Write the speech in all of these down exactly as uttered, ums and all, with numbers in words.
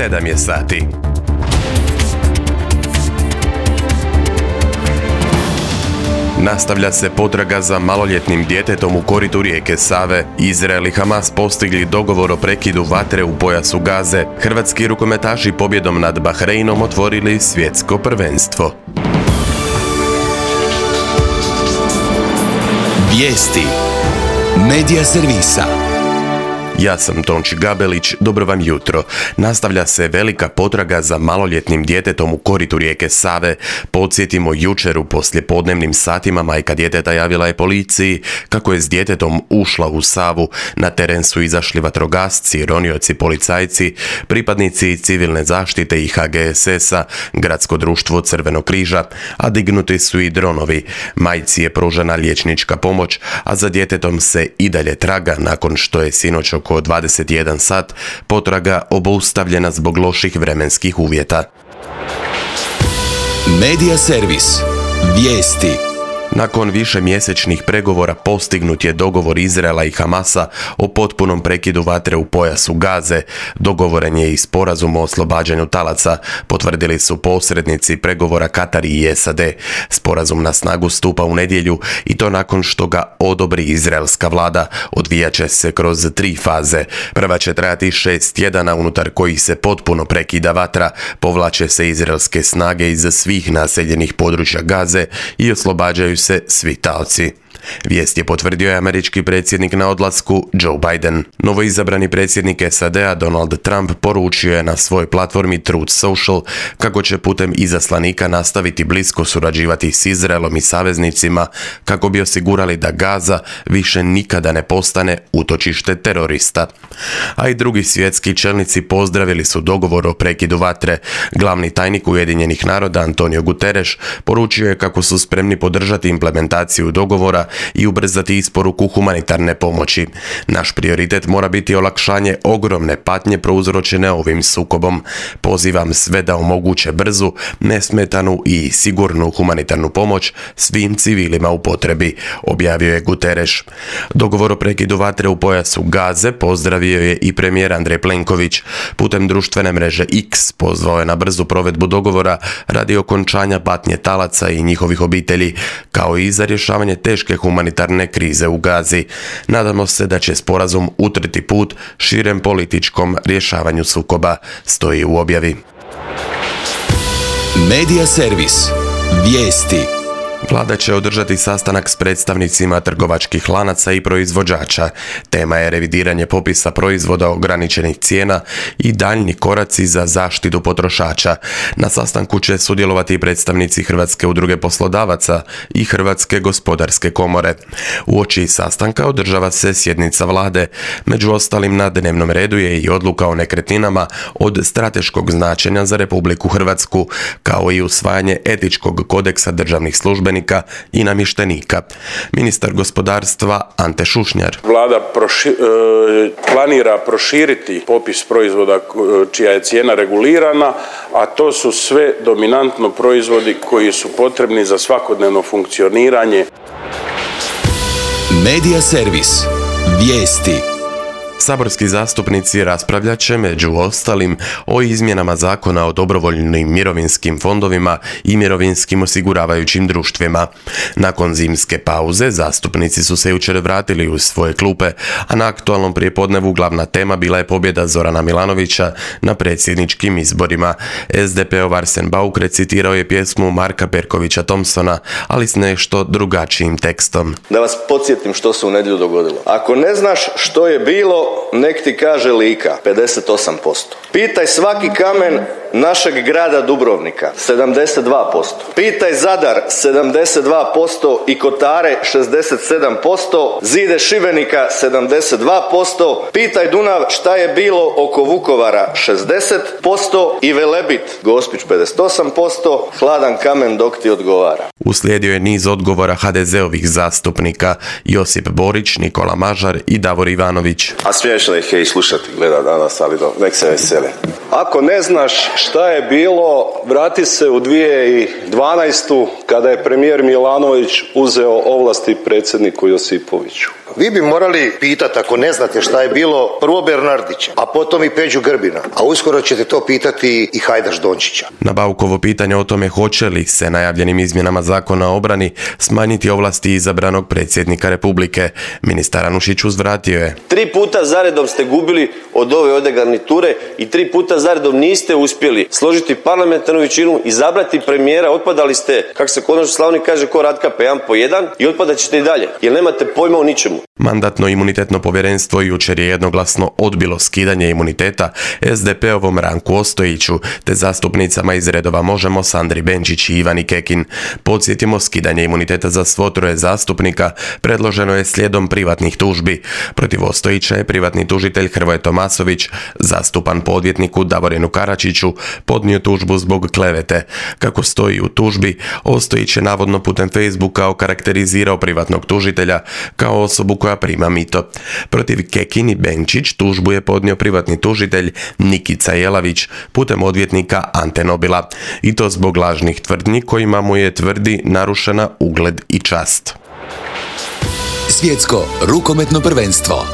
sedam je sati. Nastavlja se potraga za maloljetnim djetetom u koritu rijeke Save. Izrael i Hamas postigli dogovor o prekidu vatre u pojasu Gaze. Hrvatski rukometaši pobjedom nad Bahreinom otvorili svjetsko prvenstvo. Vijesti Medija servisa. Ja sam Tonči Gabelić, dobro vam jutro. Nastavlja se velika potraga za maloljetnim djetetom u koritu rijeke Save. Podsjetimo, jučer u poslijepodnevnim satima majka djeteta javila je policiji kako je s djetetom ušla u Savu. Na teren su izašli vatrogasci, ronioci, policajci, pripadnici civilne zaštite i H G S S-a, Gradsko društvo Crvenog križa, a dignuti su i dronovi. Majci je pružena liječnička pomoć, a za djetetom se i dalje traga nakon što je sinoć oko dvadeset jedan sat potraga obustavljena zbog loših vremenskih uvjeta. Medija servis. Vijesti. Nakon više mjesečnih pregovora postignut je dogovor Izraela i Hamasa o potpunom prekidu vatre u pojasu Gaze. Dogovoren je i sporazum o oslobađanju talaca, potvrdili su posrednici pregovora Katar i S A D. Sporazum na snagu stupa u nedjelju i to nakon što ga odobri izraelska vlada. Odvijat će se kroz tri faze. Prva će trajati šest tjedana unutar kojih se potpuno prekida vatra, povlače se izraelske snage iz svih naseljenih područja Gaze i oslobađaju se svi talci. Vijest je potvrdio je američki predsjednik na odlasku Joe Biden. Novoizabrani predsjednik S A D-a Donald Trump poručio je na svojoj platformi Truth Social kako će putem izaslanika nastaviti blisko surađivati s Izraelom i saveznicima kako bi osigurali da Gaza više nikada ne postane utočište terorista. A i drugi svjetski čelnici pozdravili su dogovor o prekidu vatre. Glavni tajnik Ujedinjenih naroda Antonio Guterres poručio je kako su spremni podržati implementaciju dogovora i ubrzati isporuku humanitarne pomoći. Naš prioritet mora biti olakšanje ogromne patnje prouzročene ovim sukobom. Pozivam sve da omoguće brzu, nesmetanu i sigurnu humanitarnu pomoć svim civilima u potrebi, objavio je Guterres. Dogovor o prekidu vatre u pojasu Gaze pozdravio je i premijer Andrej Plenković. Putem društvene mreže X pozvao je na brzu provedbu dogovora radi okončanja patnje talaca i njihovih obitelji, kao i za rješavanje teške humanitarne krize u Gazi. Nadamo se da će sporazum utrti put širem političkom rješavanju sukoba, stoji u objavi. Medija servis. Vijesti. Vlada će održati sastanak s predstavnicima trgovačkih lanaca i proizvođača. Tema je revidiranje popisa proizvoda ograničenih cijena i daljnji koraci za zaštitu potrošača. Na sastanku će sudjelovati i predstavnici Hrvatske udruge poslodavaca i Hrvatske gospodarske komore. Uoči sastanka održava se sjednica vlade. Među ostalim na dnevnom redu je i odluka o nekretninama od strateškog značenja za Republiku Hrvatsku, kao i usvajanje etičkog kodeksa državnih službenika i namještenika. Ministar gospodarstva Ante Šušnjar. Vlada proši, e, planira proširiti popis proizvoda čija je cijena regulirana, a to su sve dominantno proizvodi koji su potrebni za svakodnevno funkcioniranje. Medija servis. Vijesti. Saborski zastupnici raspravljat će među ostalim o izmjenama zakona o dobrovoljnim mirovinskim fondovima i mirovinskim osiguravajućim društvima. Nakon zimske pauze zastupnici su se jučer vratili u svoje klupe, a na aktualnom prijepodnevu glavna tema bila je pobjeda Zorana Milanovića na predsjedničkim izborima. S D P-ov Arsen Bauk recitirao je pjesmu Marka Perkovića Thompsona, ali s nešto drugačijim tekstom. Da vas podsjetim što se u nedjelju dogodilo. Ako ne znaš što je bilo, nek ti kaže Lika, pedeset osam posto. Pitaj svaki kamen našeg grada Dubrovnika, sedamdeset dva posto. Pitaj Zadar, sedamdeset dva posto i Kotare, šezdeset sedam posto. Zide Šibenika, sedamdeset dva posto. Pitaj Dunav šta je bilo oko Vukovara, šezdeset posto. I Velebit, Gospić, pedeset osam posto. Hladan kamen dok ti odgovara. Uslijedio je niz odgovora ha de zeovih zastupnika Josip Borić, Nikola Mažar i Davor Ivanović. A smiješno ih je i slušati, gleda danas, ali do, nek se vesele. Ako ne znaš šta je bilo, vrati se u dvije tisuće dvanaestu kada je premijer Milanović uzeo ovlasti predsjedniku Josipoviću. Vi bi morali pitati, ako ne znate šta je bilo, prvo Bernardića, a potom i Peđu Grbina, a uskoro ćete to pitati i Hajdaš Dončića. Na Baukovo pitanje o tome hoće li se najavljenim izmjenama zakona o obrani smanjiti ovlasti izabranog predsjednika Republike, ministar Anušić uzvratio je. Tri puta zaredom ste gubili od ove ovdje garniture i tri puta zaredom niste uspjeli složiti parlamentarnu većinu, izabrati premijera, otpadali ste, kako se kod nas u Slavoniji kaže, ko Ratka jedan po jedan i otpadat ćete i dalje, jer nemate pojma o ničemu. Mandatno-imunitetno povjerenstvo jučer je jednoglasno odbilo skidanje imuniteta es de pe ovom Ranku Ostojiću te zastupnicama iz redova Možemo Sandri Benčić i Ivani Kekin. Podsjetimo, skidanje imuniteta za svo troje zastupnika predloženo je slijedom privatnih tužbi. Protiv Ostojića je privatni tužitelj Hrvoje Tomasović, zastupan po odvjetniku Davorinu Karačiću, podnio tužbu zbog klevete. Kako stoji u tužbi, Ostojić je navodno putem Facebooka okarakterizirao privatnog tužitelja kao osobu koja prima mito. Protiv Kekin i Benčić tužbu je podnio privatni tužitelj Nikica Jelavić putem odvjetnika Ante Nobila. I to zbog lažnih tvrdnji kojima mu je, tvrdi, narušena ugled i čast. Svjetsko rukometno prvenstvo.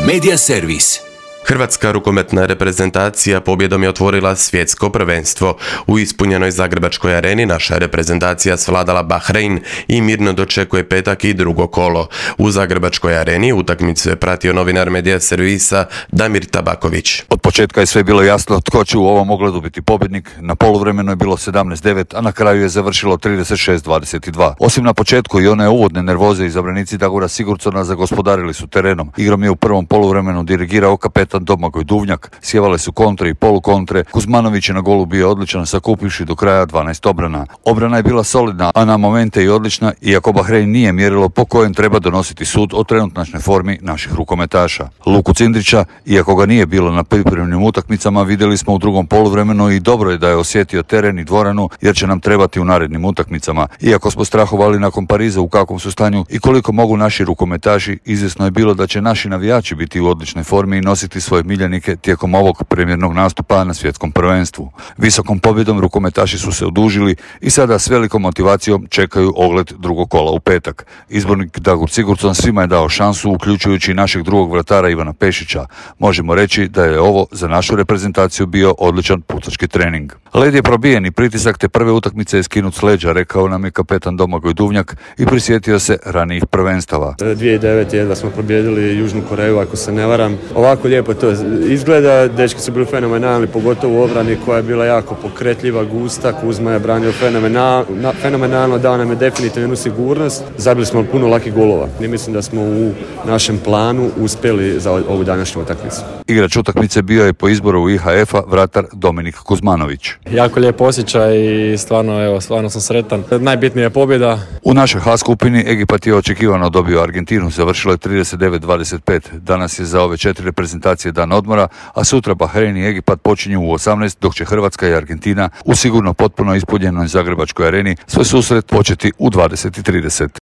Media servis. Hrvatska rukometna reprezentacija pobjedom je otvorila svjetsko prvenstvo. U ispunjenoj Zagrebačkoj areni naša reprezentacija svladala Bahrein i mirno dočekuje petak i drugo kolo. U Zagrebačkoj areni utakmicu je pratio novinar Medija servisa Damir Tabaković. Od početka je sve bilo jasno tko će u ovom ogledu biti pobjednik. Na poluvremenu je bilo sedamnaest devet, a na kraju je završilo trideset šest dvadeset dva. Osim na početku i one uvodne nervoze, izabranici Dagora Sigurdsona zagospodarili su terenom. Igrom je u prvom poluvremenu dirigirao kapetan Domagoj Duvnjak, sjevale su kontre i polukontre. Kuzmanović je na golu bio odličan, sakupivši do kraja dvanaest obrana. Obrana je bila solidna, a na momente i odlična, iako Bahrein nije mjerilo po kojem treba donositi sud o trenutnačnoj formi naših rukometaša. Luku Cindrića, iako ga nije bilo na pripremnim utakmicama, vidjeli smo u drugom poluvremenu i dobro je da je osjetio teren i dvoranu, jer će nam trebati u narednim utakmicama. Iako smo strahovali nakon Pariza u kakvom su stanju i koliko mogu naši rukometaši, izvjesno je bilo da će naši navijači biti u odličnoj formi i nositi svoje miljenike tijekom ovog premijernog nastupa na svjetskom prvenstvu. Visokom pobjedom rukometaši su se odužili i sada s velikom motivacijom čekaju ogled drugog kola u petak. Izbornik Dagor Sigurdsson svima je dao šansu, uključujući našeg drugog vratara Ivana Pešića. Možemo reći da je ovo za našu reprezentaciju bio odličan pucački trening. Led je probijen i pritisak te prve utakmice je skinut s leđa, rekao nam je kapetan Domagoj Duvnjak i prisjetio se ranijih prvenstava. dvije tisuće devete jedva smo pobijedili Južnu Koreju, ako se ne varam. Ovako lijepo to izgleda, dečki su bili fenomenalni, pogotovo u obrani koja je bila jako pokretljiva, gusta. Kuzma je branio fenomenal, fenomenalno, dao nam je definitivno jednu sigurnost. Zabili smo puno lakih golova i mislim da smo u našem planu uspjeli za ovu današnju utakmicu. Igrač utakmice bio je po izboru u i ha efa vratar Dominik Kuzmanović. Jako lijep osjećaj i stvarno, evo, stvarno sam sretan. Najbitnija je pobjeda. U našoj H skupini Egipat je očekivano dobio Argentinu, završilo je trideset devet dvadeset pet. Danas je za ove četiri reprezentacije dan odmora, a sutra Bahrein i Egipat počinju u osamnaest, dok će Hrvatska i Argentina u sigurno potpuno ispunjenoj Zagrebačkoj areni svoj susret početi u dvadeset i trideset.